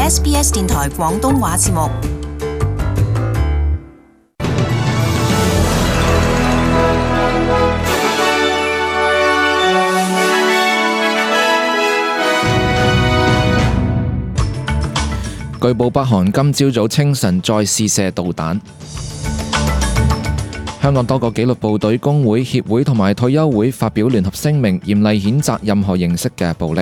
SBS 電台廣東話節目。據報北韓今朝早清晨再試射導彈。香港多個紀律部隊工會、協會同埋退休會發表聯合聲明，嚴厲譴責任何形式嘅暴力。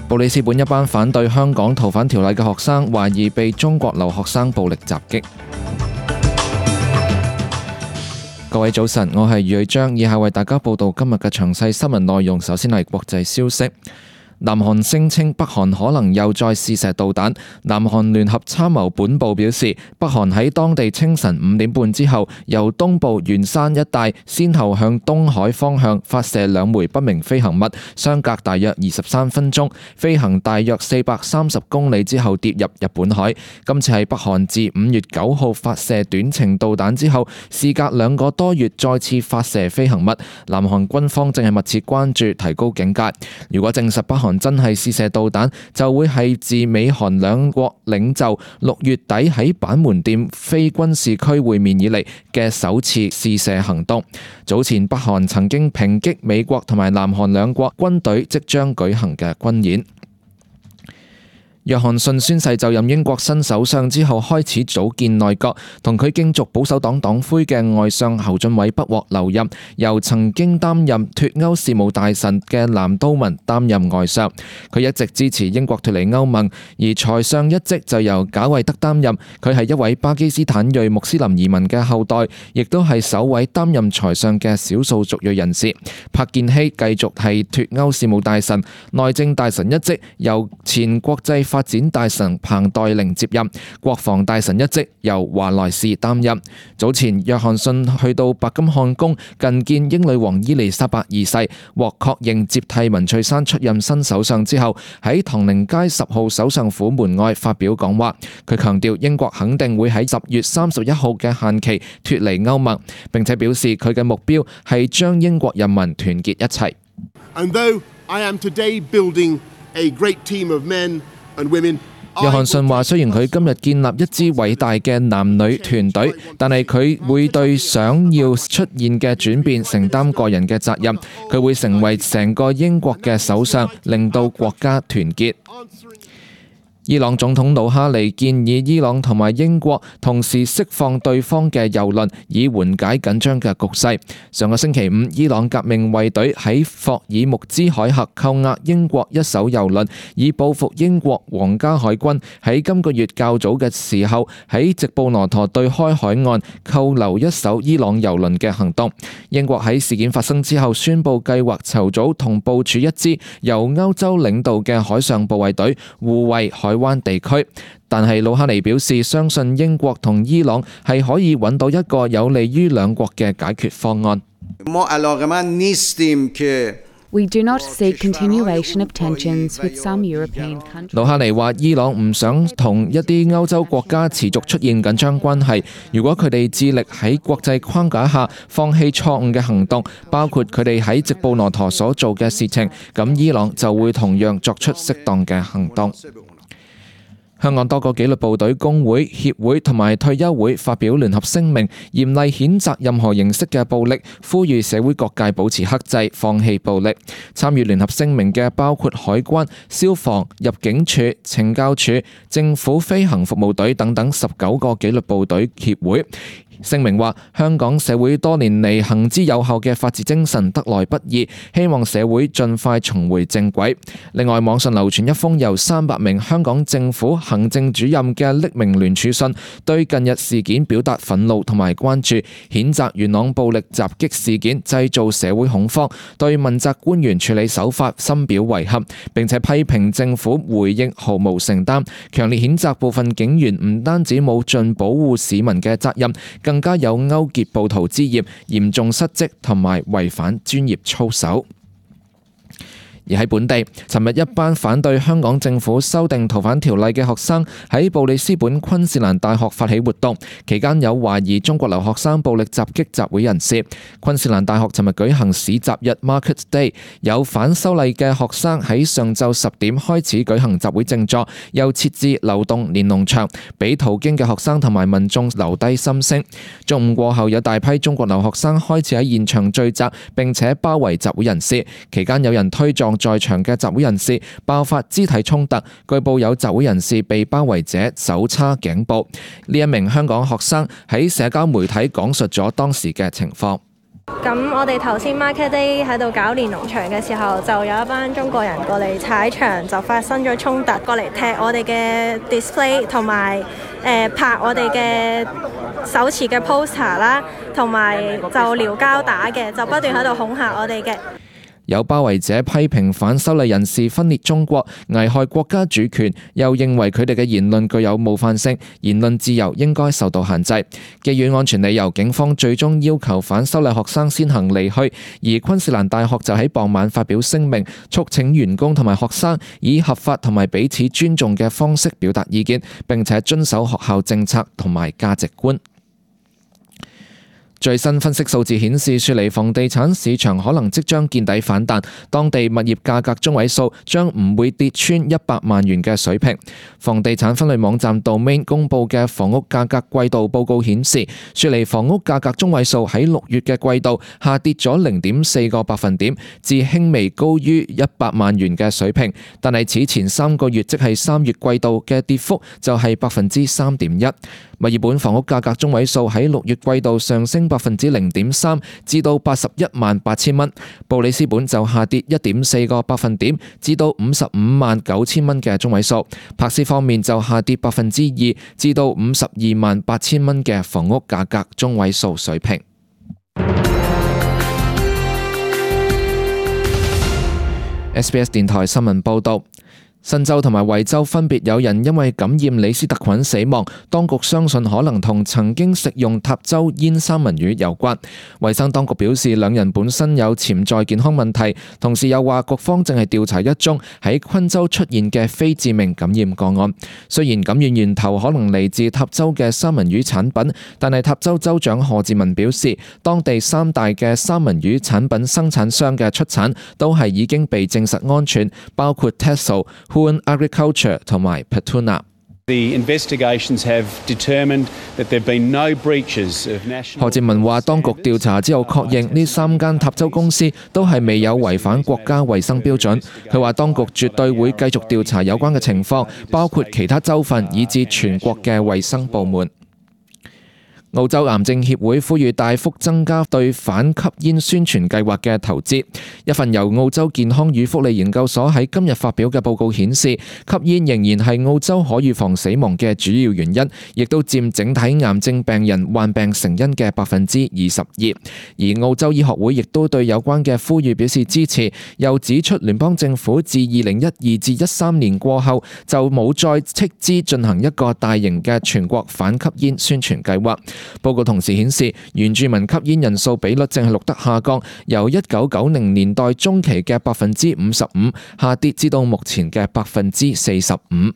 布里斯本一班反對香港逃犯條例嘅學生懷疑被中國留學生暴力襲擊。各位早晨，我係余偉章，以下為大家報道今日嘅詳細新聞內容。首先係國際消息。南韓聲稱北韓可能又再試射導彈。南韓聯合參謀本部表示，北韓喺當地清晨5點半之後，由東部元山一帶先後向東海方向發射2枚不明飛行物，相隔大約23分鐘，飛行大約430公里之後跌入日本海。今次係北韓自5月9號發射短程導彈之後，事隔2個多月再次發射飛行物。南韓軍方正係密切關注，提高警戒。如果證實北韓真係試射導彈，就會係自美韓兩國領袖6月底喺板門店非軍事區會面以嚟嘅首次試射行動。早前北韓曾經抨擊美國同埋南韓兩國軍隊即將舉行嘅軍演。約翰遜宣誓就任英國新首相之後，開始組建內閣，同佢競逐保守黨黨魁嘅外相侯俊偉不獲留任，由曾經擔任脫歐事務大臣嘅藍韜文擔任外相。佢一直支持英國脫離歐盟，而財相一職就由賈偉德擔任。佢係一位巴基斯坦裔穆斯林移民嘅後代，亦都係首位擔任財相嘅少數族裔人士。柏建熙繼續係脫歐事務大臣，內政大臣一職由前國際發展大臣彭黛玲接任，國防大臣一職由華萊士擔任。早前約翰遜去到白金漢宮覲見英女王伊麗莎白二世，獲確認接替文翠珊出任新首相之後，喺唐寧街10號首相府門外發表講話。佢強調英國肯定會喺10月31號嘅限期脫離歐盟，並且表示佢嘅目標係將英國人民團結一齊。And though I am today building a great team of men約翰遜話：雖然佢今日建立一支偉大嘅男女團隊，但係佢會對想要出現嘅轉變承擔個人嘅責任。佢會成為成個英國嘅首相，令到國家團結。伊朗總統魯哈尼建議伊朗同埋英國同時釋放對方嘅油輪，以緩解緊張嘅局勢。上個星期五，伊朗革命衛隊喺霍爾木茲海峽扣押英國一艘油輪，以報復英國皇家海軍喺今個月較早嘅時候喺直布羅陀對開海岸扣留一艘伊朗油輪嘅行動。英國喺事件發生之後宣布計劃籌組同部署一支由歐洲領導嘅海上部衛隊，護衛海灣地區。但係魯哈尼表示，相信英國同伊朗係可以揾到一個有利於兩國嘅解決方案。We do not seek continuation of tensions with some European countries. 魯哈尼話：伊朗唔想同一啲歐洲國家持續出現緊張關係。如果佢哋致力喺國際框架下放棄錯誤嘅行動，包括佢哋喺直布羅陀所做嘅事情，咁伊朗就會同樣作出適當嘅行動。香港多個紀律部隊工會、協會同埋退休會發表聯合聲明，嚴厲譴責任何形式嘅暴力，呼籲社會各界保持克制，放棄暴力。參與聯合聲明嘅包括海關、消防、入境處、懲教處、政府飛行服務隊等等19個紀律部隊協會。聲明話：香港社會多年嚟行之有效嘅法治精神得來不易，希望社會盡快重回正軌。另外，網上流傳一封由300名香港政府行政主任嘅匿名聯署信，對近日事件表達憤怒同埋關注，譴責元朗暴力襲擊事件製造社會恐慌，對問責官員處理手法深表遺憾，並且批評政府回應毫無承擔，強烈譴責部分警員唔單止冇盡保護市民嘅責任，更加有勾結暴徒之嫌，嚴重失職同埋違反專業操守。而喺本地，尋日一班反對香港政府修訂逃犯條例嘅學生喺布里斯本昆士蘭大學發起活動，期間有懷疑中國留學生暴力襲擊集會人士。昆士蘭大學尋日舉行市集日 Market Day， 有反修例嘅學生喺上晝10點開始舉行集會靜坐，又設置流動連儂牆，俾途經嘅學生同埋民眾留低心聲。中午過後，有大批中國留學生開始喺現場聚集，並且包圍集會人士。期間有人推撞在場嘅集會人士，爆發肢體衝突。據報有集會人士被包圍者手叉頸部。呢一名香港學生喺社交媒體講述咗當時嘅情況。咁我哋頭先 Market Day 喺度搞連儂牆嘅時候，就有一班中國人過嚟踩牆，就發生咗衝突，過嚟踢我哋嘅 display 同埋拍我哋嘅手持嘅 poster 啦，同埋就撩交打嘅，就不斷喺度恐嚇我哋嘅。有包圍者批評反修例人士分裂中國，危害國家主權，又認為佢哋嘅言論具有冒犯性，言論自由應該受到限制。基於安全理由，警方最終要求反修例學生先行離去，而昆士蘭大學就喺傍晚發表聲明，促請員工同埋學生以合法同埋彼此尊重嘅方式表達意見，並且遵守學校政策同埋價值觀。最新分析數字顯示，雪梨房地產市場可能即將見底反彈，當地物業價格中位數將唔會跌穿100萬元嘅水平。房地產分類網站 Domain 公佈嘅房屋價格季度報告顯示，雪梨房屋價格中位數喺6月嘅季度下跌咗0.4個百分點，至輕微高於100萬元嘅水平。但係此前3個月，即係3月季度嘅跌幅就係3.1%。墨爾本房屋價格中位數喺6月季度上升0.3%，至到818000蚊。布里斯本就下跌1.4個百分點，至到559000蚊嘅中位數。柏斯方面就下跌2%，至到528000蚊嘅房屋價格中位數水平。SBS 電台新聞報道。新州同埋維州分別有人因為感染李斯特菌死亡，當局相信可能同曾經食用塔州煙三文魚有關。衛生當局表示，兩人本身有潛在健康問題，同時又話局方正係調查一宗喺昆州出現嘅非致命感染個案。雖然感染源頭可能嚟自塔州嘅三文魚產品，但係塔州州長賀志文表示，當地3大嘅三文魚產品生產商嘅出產都係已經被證實安全，包括 Tesco、Huon Agriculture 同埋 Petuna。賀志文話，當局調查之後確認呢3間塔州公司都係未有違反國家衛生標準。佢話當局絕對會繼續調查有關嘅情況，包括其他州份以至全國嘅衛生部門。澳洲癌症協會呼籲大幅增加對反吸煙宣傳計劃嘅投資。一份由澳洲健康與福利研究所喺今日發表嘅報告顯示，吸煙仍然係澳洲可預防死亡嘅主要原因，亦都佔整體癌症病人患病成因嘅22%。而澳洲醫學會亦都對有關嘅呼籲表示支持，又指出聯邦政府自2012至13年過後就冇再斥資進行一個大型嘅全國反吸煙宣傳計劃。報告同時顯示，原住民吸煙人數比率正係錄得下降，由1990年代中期嘅55%下跌至到目前嘅45%。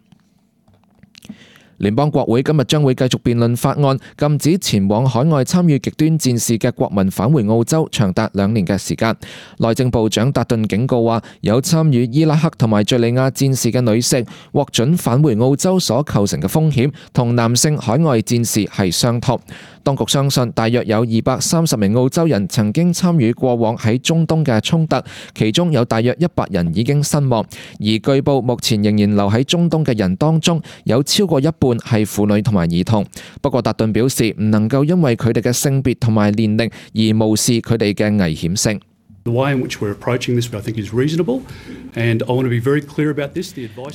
聯邦國會今日將會繼續辯論法案，禁止前往海外參與極端戰事嘅國民返回澳洲，長達2年嘅時間。內政部長達頓警告話，有參與伊拉克同埋敘利亞戰事嘅女性獲准返回澳洲所構成嘅風險，同男性海外戰士係相同。當局相信大約有230名澳洲人曾經參與過往喺中東嘅衝突，其中有大約100人已經身亡。而據報目前仍然留喺中東嘅人當中，有超過一半係婦女同埋兒童。不過達頓表示，唔能夠因為佢哋嘅性別同埋年齡而無視佢哋嘅危險性。達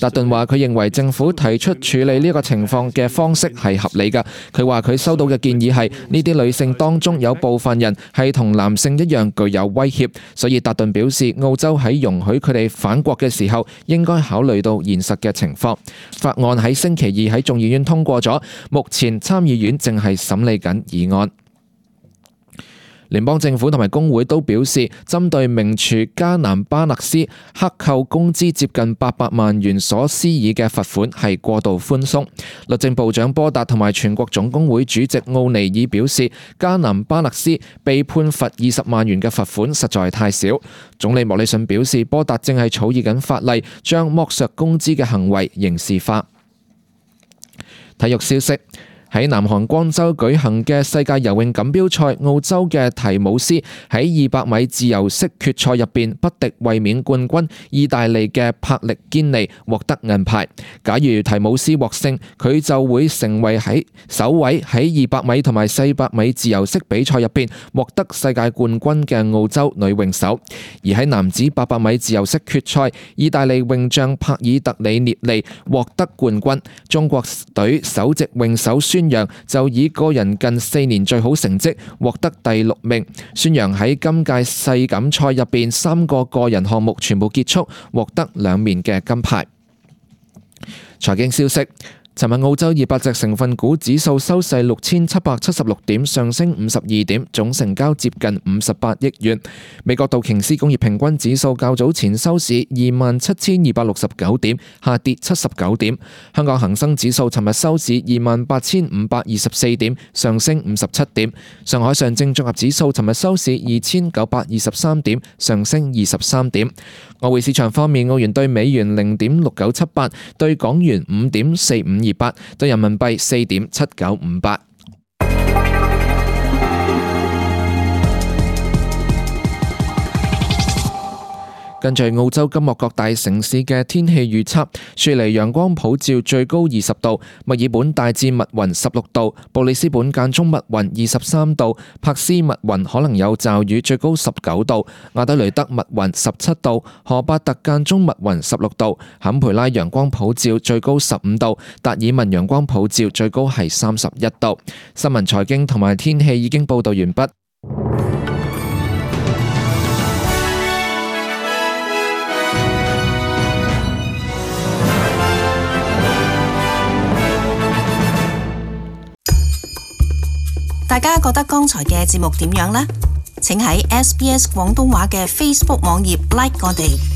頓話佢認為政府提出處理呢個情況嘅方式係合理㗎。佢話佢收到嘅建議係呢啲女性當中有部分人係同男性一樣具有威脅，所以達頓表示澳洲喺容許佢哋返國嘅時候應該考慮到現實嘅情況。法案喺星期二喺眾議院通過咗，目前參議院正係審理緊議案。聯邦政府同埋工會都表示，針對名廚加南巴勒斯克扣工資接近800萬元所施以嘅罰款係過度寬鬆。律政部長波達同埋全國總工會主席奧尼爾表示，加南巴勒斯被判罰20萬元嘅罰款實在太少。總理莫里遜表示，波達正係草擬緊法例，將剝削工資嘅行為刑事化。體育消息。喺南韓光州舉行嘅世界游泳錦標賽，澳洲嘅提姆斯喺200米自由式決賽入邊不敵衛冕冠軍意大利嘅帕力堅尼，獲得銀牌。假如提姆斯獲勝，佢就會成為首位喺200米同埋400米自由式比賽入邊獲得世界冠軍嘅澳洲女泳手。而喺男子800米自由式決賽，意大利泳將帕爾特里涅利獲得冠軍。中國隊首席泳手孫楊就以個人近4年最好成績獲得第6名。孫楊喺今屆世錦賽入邊3個個人項目全部結束，獲得2面嘅金牌。財經消息。尋日澳洲200隻成分股指數收市6776點，上升52點，總成交接近58億元。美國道瓊斯工業平均指數較早前收市27269點，下跌79點。香港恒生指數尋日收市28524點，上升57點。上海上證綜合指數尋日收市2923點，上升23點。外匯市場方面，澳元對美元0.6978，對港元5.4528，對人民幣4.7958。跟住澳洲今幕各大城市嘅天氣預測：雪梨陽光普照，最高20度；墨爾本大致密雲16度；布里斯本間中密雲23度；珀斯密雲可能有驟雨，最高19度；亞德雷德密雲17度；荷巴特間中密雲16度；坎培拉陽光普照，最高15度；達爾文陽光普照，最高係31度。新聞、財經同埋天氣已經報道完畢。大家覺得剛才嘅節目點樣呢？請喺SBS 廣東話嘅 Facebook 網頁 like 我哋。